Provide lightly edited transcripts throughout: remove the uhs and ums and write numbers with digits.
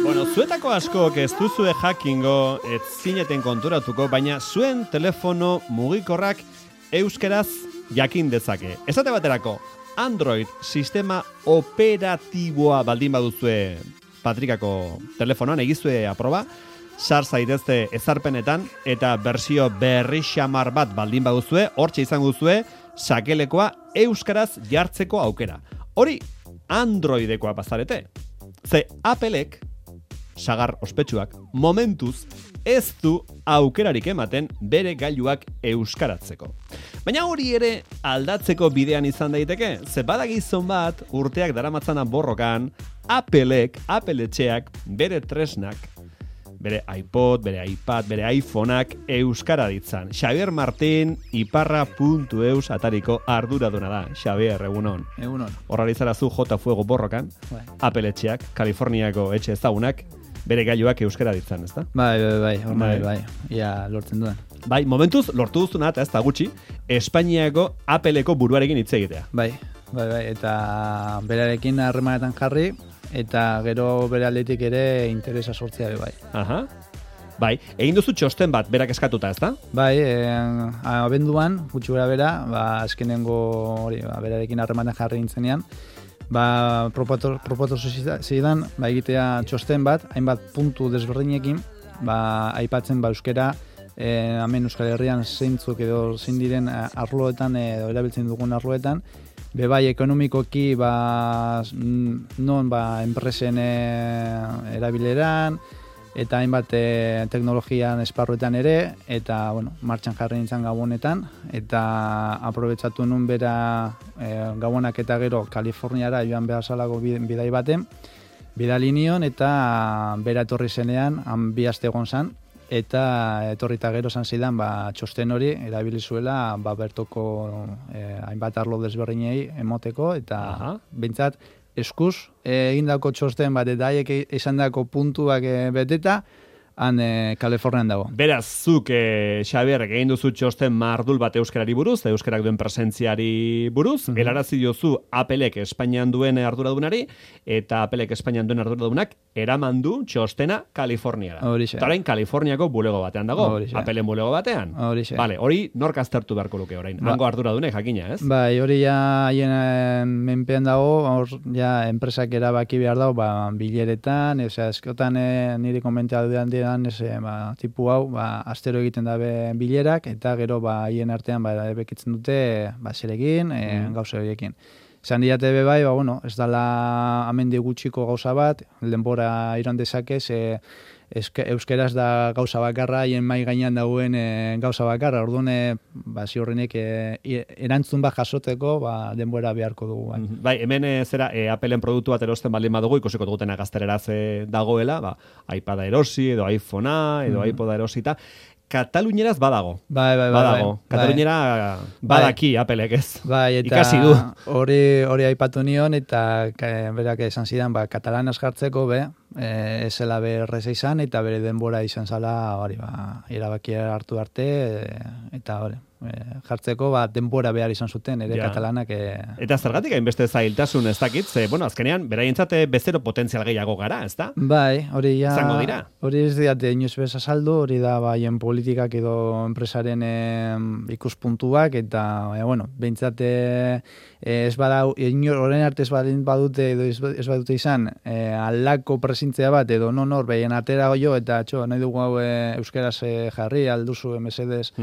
Bueno, zuetako askok ez duzue jakingo, ez zineten konturatuko, baina zuen telefono mugikorrak euskeraz jakin dezake. Esate baterako, Android sistema operatiboa baldin baduzue Patrikako telefonoan, egizue aproba, sar zaitezte ezarpenetan, eta bersio berri xamar bat baldin baduzue, hortxe izango duzue, sakelekoa euskaraz jartzeko aukera. Hori Androidekoa bazarete. Ze Applek, sagar ospetsuak, momentuz ez du aukerarik ematen bere gailuak euskaratzeko. Baina hori ere aldatzeko bidean izan daiteke, ze badagizon bat urteak daramatzana borrokan, Applek, Apple etxeak, bere tresnak, bere iPod, bere iPad, bere iPhoneak euskara ditzan. Xavier Martín, iparra.eus atariko arduraduna da. Xavier, egunon. Egunon. Horrari zara zu J Fuego borrokan, Apple etxeak, Kaliforniako etxe ezagunak, bere gailuak euskara ditzan, ezta? Bai. Ia lortzen duen. Bai, momentuz lortu duzuna, eta ez da gutxi, Espainiako Appleko buruarekin hitz egitea. Bai, eta berarekin harremanetan jarri, eta gero bere aldetik ere interesa sortzea bai. Aha. Bai, egin duzu txosten bat, berak eskatuta, ezta? Bai, abenduan, gutxi bera, azkenengo hori, berarekin harremanetan jarri nintzenean, proposatu zidan, egitea txosten bat, hainbat puntu desberdinekin, aipatzen euskera, hemen Euskal Herrian zeintzuk edo zein diren arloetan edo erabiltzen dugun arloetan, bai ekonomikoki non enpresen erabileran, eta hainbat teknologian esparruetan ere, eta martxan jarri nintzen gabonetan, eta aprobetsatu nun bera gabonak eta gero Kaliforniara joan behar salako bidai baten, bidali nion, eta bera etorri zenean, han bi aste egon zan, eta etorrita gero zan zidan txosten hori erabili zuela bertoko hainbat arlo desberdinei emoteko, eta behintzat eskuz egindako txosten bat eta haiek izandako puntuak beteta, han Kalifornian dago. Beraz, zuk, Xabier, egin duzu txosten mardul bat euskarari buruz, euskarak duen presentziari buruz, helarazi diozu Applek Espainian duen arduradunari, eta Applek Espainian duen arduradunak eraman du txostena Kaliforniara. Horixe. Eta orain Kaliforniako bulego batean dago, Applen bulego batean. Horixe. Vale, hori nork aztertu beharko luke orain, hango arduradunek jakina, ez? Bai, hori ja haien menpean dago, hor ja enpresak erabaki behar dago, bileretan, eskotan niri komentea dudan tipu hau, astero egiten dabe bilerak, eta gero haien artean bekitzen dute zeregin, gauza horiekin. Esan diate bai, ez dala amendi gutxiko gauza bat, denbora iran dezakez, euskeraz da gauza bakarra, haien mai gainean dagoen gauza bakarra, orduan ziurrenek erantzun bat jasoteko denbora beharko dugu. Bai, hemen Applen produktu bat erosten baldin badugu, ikusiko dugutena gaztereraz dagoela, iPada erosi, edo iPhonea, edo iPoda erosita, Katalunieraz badago. Bai. Badago. Kataluniera badaki Applek ez. Bai, eta ikasi du. Hori aipatu nion, eta berak esan zidan, katalanaz jartzeko, ez zela berreza izan, eta bere denbora izan zala, erabakia hartu arte, eta jartzeko denbora behar izan zuten, ere katalanak. Eta zergatik hainbeste zailtasun ez dakit, azkenean, beraientzat bezero potentzial gehiago gara, ez da? Bai, hori ja... Zango dira. Hori ez diate inoiz bez azaldu, hori da haien politikak edo enpresaren ikuspuntuak, eta, behintzat ez badau, horren arte ez badute edo ez badute izan, aldako presintzea bat, edo nor, behien atera jo, eta nahi dugu hau euskeraz jarri, alduzu mesedez,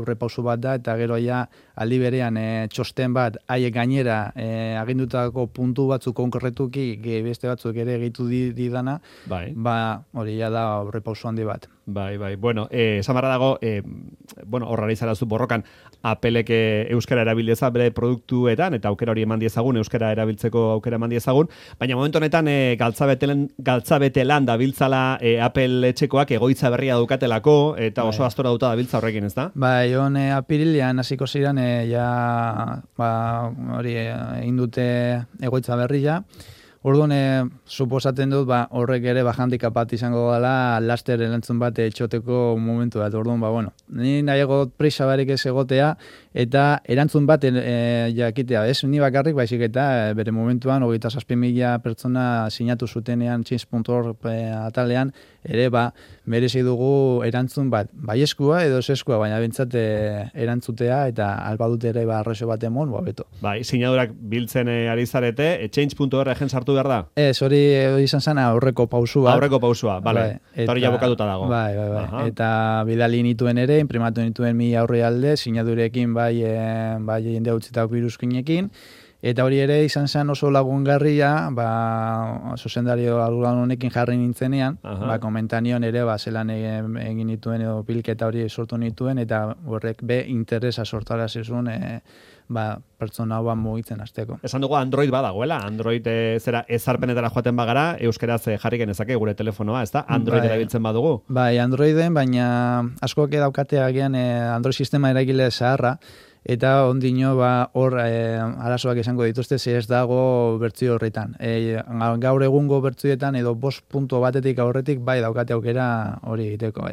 aurrepausu bat da, eta gero aldi berean txosten bat haiek gainera agindutako puntu batzuk konkretuki beste batzuk ere egitu didana, hori da aurrepausu handi bat. Bai. Bueno, samarra dago, horrari zarazu borrokan, Applek euskara erabildeza bere produktuetan, eta aukera hori eman diezagun, euskara erabiltzeko aukera eman diezagun, baina momentu honetan galtzabetelan dabiltzala Apple etxekoak egoitza berria dukatelako, eta oso astora duta dabiltza horrekin, ez da? Bai, apirilean hasiko ziren, hori egin dute egoitza berria, Orduan, suposatzen dut, horrek ere handicap bat izango dela laster erantzun bat etxoteko momentu bat. Orduan, ni nahiago prisa barik ez egotea, eta erantzun bat jakitea, ez ni bakarrik, baizik eta bere momentuan, 27.000 pertsona sinatu zutenean change.org atalean, ere merezi dugu erantzun bat, baieskua edo zeskua, baina bentsat erantzutea, eta albadut ere arroxo bat emon, beto. Sinadurak biltzen ari zarete, change.org egen sartu behar da? Ez, hori izan zen aurreko pausua. Aurreko pausua, bale. Eta hori jabokatuta dago. Bai. Eta bidali nituen ere, imprimatu nituen 1000 aurrealde, sinadurekin bai jende utzitako iruzkinekin. Eta hori ere izan zen oso lagungarria, zuzendario arduran honekin jarri nintzenean, komentanion ere, zelan egin nituen edo pilketa hori sortu nituen, eta horrek interesa sortara zizun, pertsona hau mugitzen hasteko. Esan dugu Android badagoela, Android zera ezarpenetara joaten bagara, euskeraz jarri genezake gure telefonoa, ez da? Android erabiltzen badugu? Bai, Androiden, baina askoak daukatea agian Android sistema eragile zaharra, eta ondino hor arazoak izango dituzte ze ez dago bertsio horretan. Gaur egungo bertsioetan edo 5 batetik aurretik daukate aukera hori egiteko.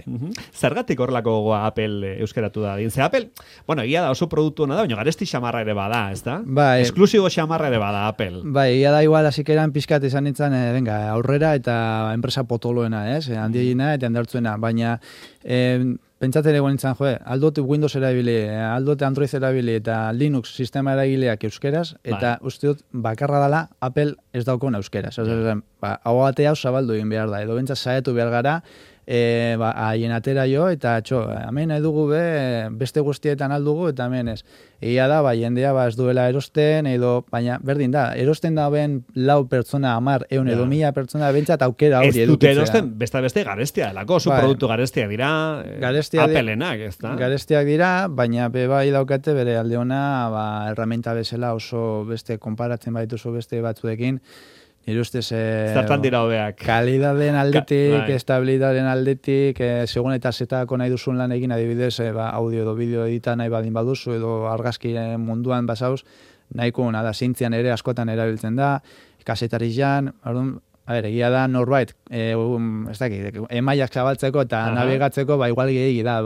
Zergatik horrelako gogoa Apple euskeratu da? Ze Apple, egia da oso produktu hona da, baina garesti xamarra ere bada, ez da? Bai. Esklusibo xamarra ere bada Apple. Bai, egia da igual hasikeran pizkat izan nintzen, aurrera eta enpresa potoloena, ez? Handiena eta handartzuena, baina pentsatzen egon nintzen, aldot Windows erabili, aldot Android erabili eta Linux sistema eragileak euskeraz, eta uste dut bakarra dela Apple ez daukon euskeraz. Hau batea zabaldu egin behar da, edo bentsat saietu behar gara, haien atera jo, eta hemen edugu beste guztietan aldugu, eta hemen ez. Egia da, jendea ez duela erosten, edo, baina berdin da, erosten da ben 4 pertsona, 10, 100 edo 1000 pertsona, bentsat aukera hori edukitzea. Ez dute erosten, beste garestia delako, zu produktu garestiak dira, Applenak, ez da? Garestiak dira, baina bai daukate bere alde ona, herramienta bezala oso beste konparatzen baituzu beste batzuekin, nire ustez zertan dira hobeak. Kalidaden aldetik, estabilidaden aldetik, segun eta zetako nahi duzun lan egin, adibidez, audio edo bideo edita nahi badin baduzu, edo argazki munduan basauz, nahiko da, zintzian ere askotan erabiltzen da, kasetari jan, egia da norbait, emaiak zabaltzeko eta nabigatzeko, igual gehiagi da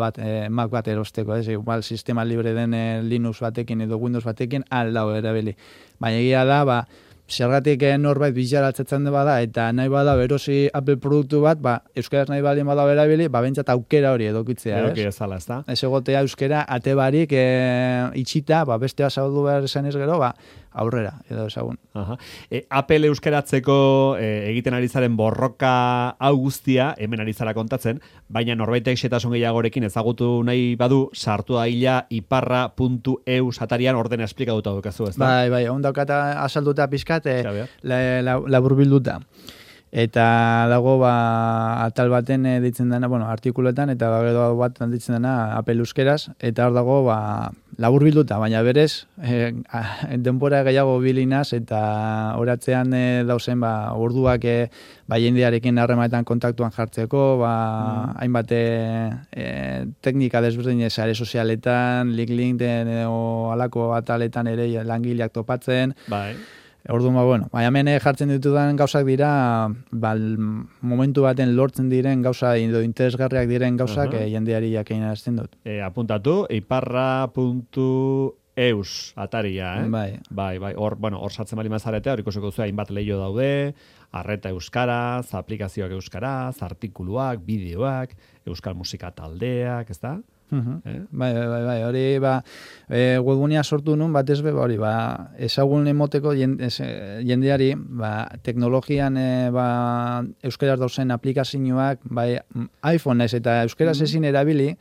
Mac bat erosteko, igual sistema libre den Linux batekin edo Windows batekin aldau erabili. Baina egia da, zergatik norbait bilaratzen bada, eta nahi bada berosi Apple produktu bat, euskaraz nahi baldin bada berabili, bentsat aukera hori edukitzea, ez? Eduki ezala, ez da? Ez egotea euskara ate barik itxita, bestea zabaldu behar esan ez gero, aurrera, edo ezagun. Apple euskaratzeko egiten ari zaren borroka hau guztia, hemen ari zara kontatzen, baina norbaitek xetasun gehiagorekin ezagutu nahi badu, sartu daila iparra.eu satarian ordena esplikatuta dukazu, ez da? Bai, ondakata azalduta pizkat, laburbilduta. Eta dago atal baten ditzen dena, artikuletan, eta gero bat ditzen dena Apple euskeraz, eta hor dago laburbilduta, baina berez, denbora gehiago bilinaz, eta oratzean dauzen orduak jendearekin harremanetan kontaktuan jartzeko, hainbat teknika desberdin sare sozialetan, LinkedIn edo alako ataletan ere langileak topatzen. Bai. Orduan, hemen jartzen ditudan gauzak dira, momentu baten lortzen diren gauza, edo interesgarriak diren gauzak jendeari jakein arazten dut. Apuntatu, iparra.eus ataria, Bai. Hor sartzen bali mazarete, hor ikusiko zu hainbat leio daude, arreta euskaraz, aplikazioak euskaraz, artikuluak, bideoak, euskal musika taldeak, ez da? Bai, hori webgunea sortu nun batez hori ezagun emoteko jendeari teknologian euskaraz dauzen aplikazioak iPhone naiz eta euskaraz ezin erabili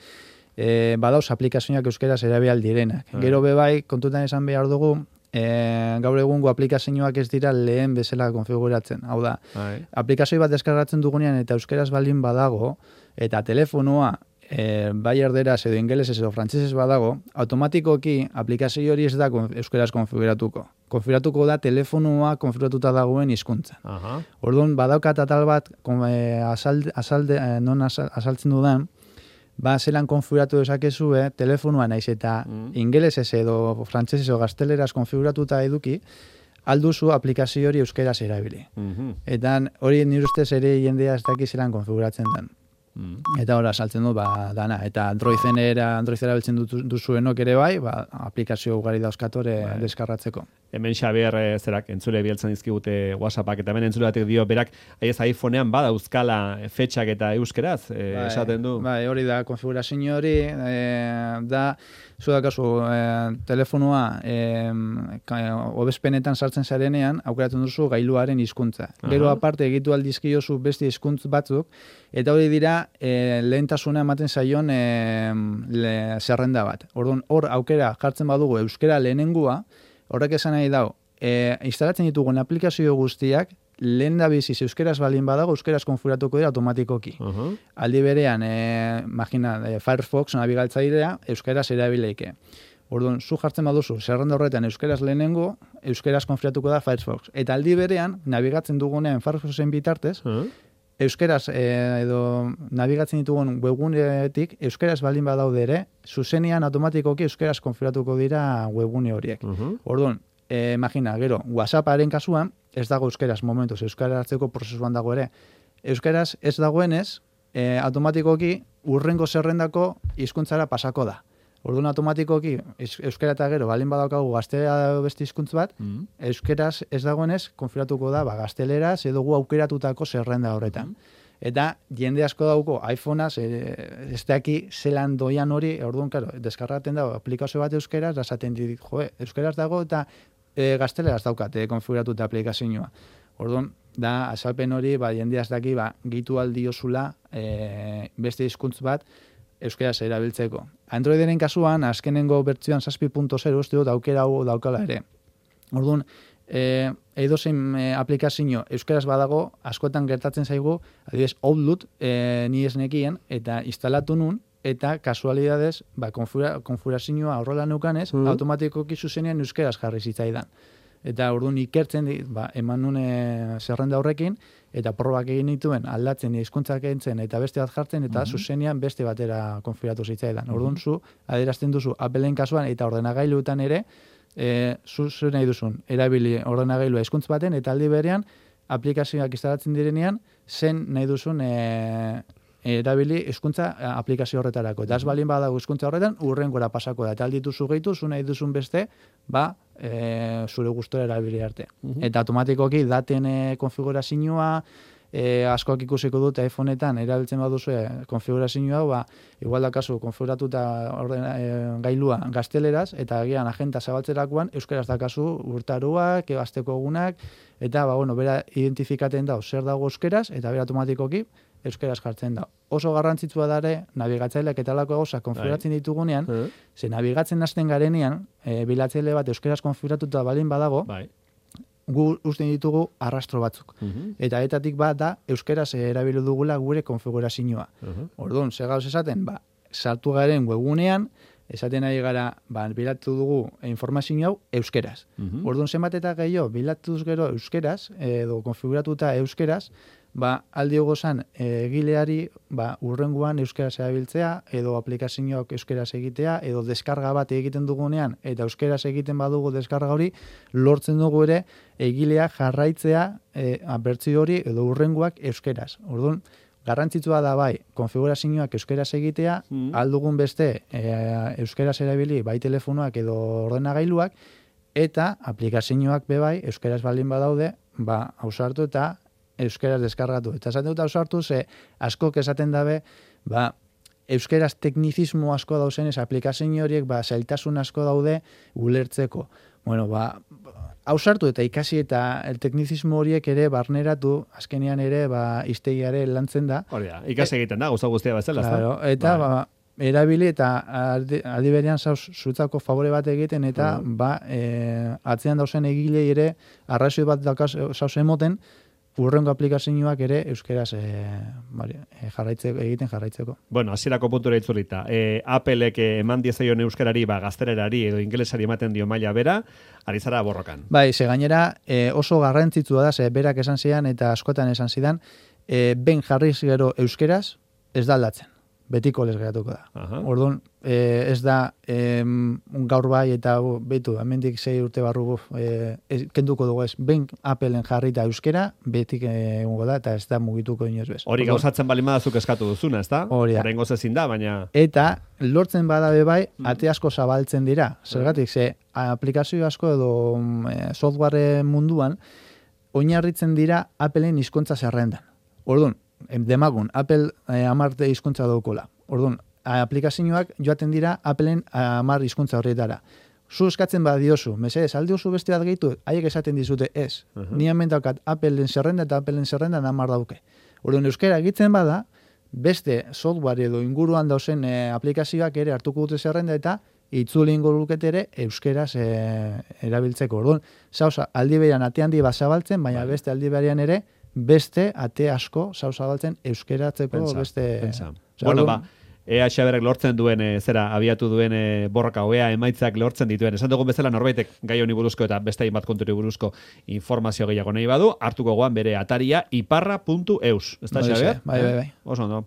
badauz aplikazioak euskaraz erabil direnak. Gero kontutan esan behar dugu gaur egungo aplikazioak ez dira lehen bezala konfiguratzen. Hau da, aplikazio bat deskargatzen dugunean eta euskaraz baldin badago eta telefonoa bai erderaz edo ingelesez edo frantsesez badago, automatikoki aplikazio hori ez da euskaraz konfiguratuko. Konfiguratuko da telefonoa konfiguratuta dagoen hizkuntzan. Orduan, badaukat atal bat non azaltzen dudan, zelan konfiguratu dezakezu telefonoa naiz eta ingelesez edo frantsesez edo gazteleraz konfiguratuta eduki, alduzu aplikazio hori euskeraz erabili. Eta hori nire ustez ere jendea ez daki zelan konfiguratzen den. Eta hori saltzen dut, dana. Eta Androidera biltzen duzuenok ere bai, aplikazio ugari dauzkatore deskarratzeko. Hemen Xabier zerak entzule bieltzen dizkigute WhatsAppak, eta hemen entzule batek dio berak, aiez iPhonean bada euskala fetxak eta euskeraz, esaten du. Bai, hori da, konfigurazio hori, da, zu dakazu, telefonua obezpenetan sartzen zarenean, aukeratzen duzu gailuaren hizkuntza. Gero aparte egitu aldizkiozu beste hizkuntz batzuk, eta hori dira lehentasuna ematen zaion zerrenda bat. Orduan, hor aukera jartzen badugu euskera lehenengua, horrek esan nahi dau, instalatzen ditugun aplikazio guztiak, lehen da biziz euskeraz balin badago, euskeraz konfiguratuko dira automatikoki. Aldi berean, imagina, Firefox nabigatzailea euskeraz erabileike. Orduan, zu jartzen baduzu, zerrenda horretan euskeraz lehenengo, euskeraz konfiguratuko da Firefox. Eta aldi berean, nabigatzen dugunean Firefoxen bitartez, euskeraz edo nabigatzen ditugun webguneetik euskeraz balin badaude ere, zuzenean automatikoki euskeraz konfiguratuko dira webgune horiek. Orduan, imagina, gero, WhatsApparen kasuan, ez dago euskeraz momentuz, euskara hartzeko prozesuan dago ere. Euskaraz ez dagoenez, automatikoki urrengo zerrendako hizkuntzara pasako da. Orduan automatikoki euskara eta gero balin badaukagu gaztelera beste hizkuntz bat, euskeraz ez dagoenez konfiguratuko da gazteleraz edo gu aukeratutako zerrenda horretan. Eta jende asko dauko iPhoneaz, ez daki zelan doian hori, orduan, claro, deskargaten dago aplikazio bat euskeraz, da esaten dit, euskeraz dago eta gazteleraz daukat konfiguratuta aplikazioa. Orduan, da azalpen hori, jende ez daki, gitu aldiozula beste hizkuntz bat, euskeraz erabiltzeko. Androideren kasuan, azkenengo bertsioan 7.0 uste dut aukera hau daukala ere. Orduan, edozein aplikazio euskeraz badago, askotan gertatzen zaigu, adibidez, Outlook ni ez nekien, eta instalatu nun, eta kasualidadez, konfigurazioa horrela neukanez, automatikoki zuzenean euskeraz jarri zitzaidan. Eta orduan ikertzen, eman nun zerrenda horrekin, eta probak egin dituen aldatzen hizkuntzak entzen eta beste bat jartzen, eta zuzenean beste batera konfiguratu zitzaidan. Orduan zu, adierazten duzu Appleen kasuan eta ordenagailuetan ere, zu nahi duzun, erabili ordenagailua hizkuntz baten, eta aldi berean, aplikazioak instalatzen direnean, zen nahi duzun erabili hizkuntza aplikazio horretarako. Eta ez balin badago hizkuntza horretan, urrengora pasako da. Eta aldituzu gehitu, zu nahi duzun beste, zure gustora erabili arte. Eta automatikoki daten konfigurazioa, askoak ikusiko dut iPhoneetan erabiltzen baduzu konfigurazioa, igual da kasu konfiguratuta gailua gazteleraz, eta agian agenta zabaltzerakoan euskaraz da kasu urtaruak, asteko egunak, eta bera identifikaten da zer dago euskeraz, eta bera automatikoki euskeraz jartzen da. Oso garrantzitsua da ere, nabigatzaileak eta lako gauza konfiguratzen ditugunean, ze nabigatzen hasten garenean, bilatzaile bat euskeraz konfiguratuta balin badago, gu usten ditugu arrastro batzuk. Eta etatik bat da, euskeraz erabili dugula gure konfigurazioa. Orduan, ze gauz esaten, sartu garen webgunean, esaten ari gara, bilatu dugu informazio hau euskeraz. Orduan, zenbat eta gehiago, bilatuz gero euskeraz, edo konfiguratuta euskeraz, aldi gozan egileari urrengoan euskeraz erabiltzea, edo aplikazioak euskeraz egitea, edo deskarga bat egiten dugunean, eta euskeraz egiten badugu deskarga hori, lortzen dugu ere egilea jarraitzea bertsio hori edo urrengoak euskeraz. Orduan, garrantzitsua da konfigurazioak euskeraz egitea, aldugun beste euskeraz erabili telefonoak edo ordenagailuak, eta aplikazioak bebai euskeraz baldin badaude, ausartu eta euskeraz deskargatu. Eta esaten dut ausartu, askok esaten dabe, euskeraz teknizismo asko dauzenez, aplikazio horiek zailtasun asko daude ulertzeko. Bueno, ausartu eta ikasi eta teknizismo horiek ere barneratu, azkenean ere hiztegiare lantzen da. Hori da, ikasi egiten da, gauza guztia bezala. Claro, eta erabili eta aldi berean zutzako favore bat egiten eta atzean dauzen egilei ere arrazio bat zauz emoten, urrengo aplikazioak ere euskeraz egiten jarraitzeko. Bueno, hasierako puntura itzulita. Applek eman diezaion euskarari gaztelerari edo ingelesari ematen dio maila bera, ari zara borrokan. Ze gainera oso garrantzitsua da, berak esan zidan eta askotan esan zidan, ben jarriz gero euskeraz ez da aldatzen. Betiko les geratuko da. Orduan, ez da gaur bai eta betu, hemendik 6 urte barru kenduko dugu ez. Ben Appleen jarrita euskera, betik egongo da, eta ez da mugituko inoz bez. Hori gauzatzen bali madazuk eskatu duzuna, ez da? Hori. Horrengoz ezin da, baina... Eta lortzen badabe bai, ate asko zabaltzen dira. Zergatik, ze aplikazio asko edo software munduan, oinarritzen dira Appleen hizkuntza zerrendan. Orduan, demagun, Apple 10 hizkuntza daukola. Orduan, aplikazioak joaten dira Appleen 10 hizkuntza horretara. Zu eskatzen badiozu, mesedez, alde oso beste bat gehitu, haiek esaten dizute ez. Ni hemen daukat Appleen zerrenda eta Appleen zerrendan 10 dauke. Orduan, euskera egitzen bada, beste software edo inguruan dauzen aplikazioak ere hartuko dute zerrenda eta itzuli ingo lukete ere euskeraz erabiltzeko. Orduan, zauza, aldi berean ate handi bat zabaltzen, baina beste aldi berean ere, beste ate asko zabaltzen euskeratzeko beste... Bueno, ba, ea Xaberrek lortzen duen, abiatu duen borroka, oea emaitzak lortzen dituen. Esan dugun bezala norbaitek gai honi buruzko eta beste hainbat konturi buruzko informazio gehiago nahi badu, hartuko goan bere ataria iparra.eus. Ez da, Xaber? Bai. Oso ondo.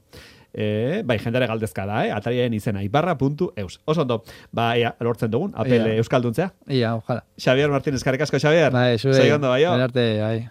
Bai, jendare galdezka da, atariaren izena, iparra.eus. Oso ondo, ba, ea, lortzen dugun, Apple euskalduntzea. Ia, ojala. Xabier Martínez, eskerrik asko, Xabier. Bai, zuei. Segondo, bai, bai.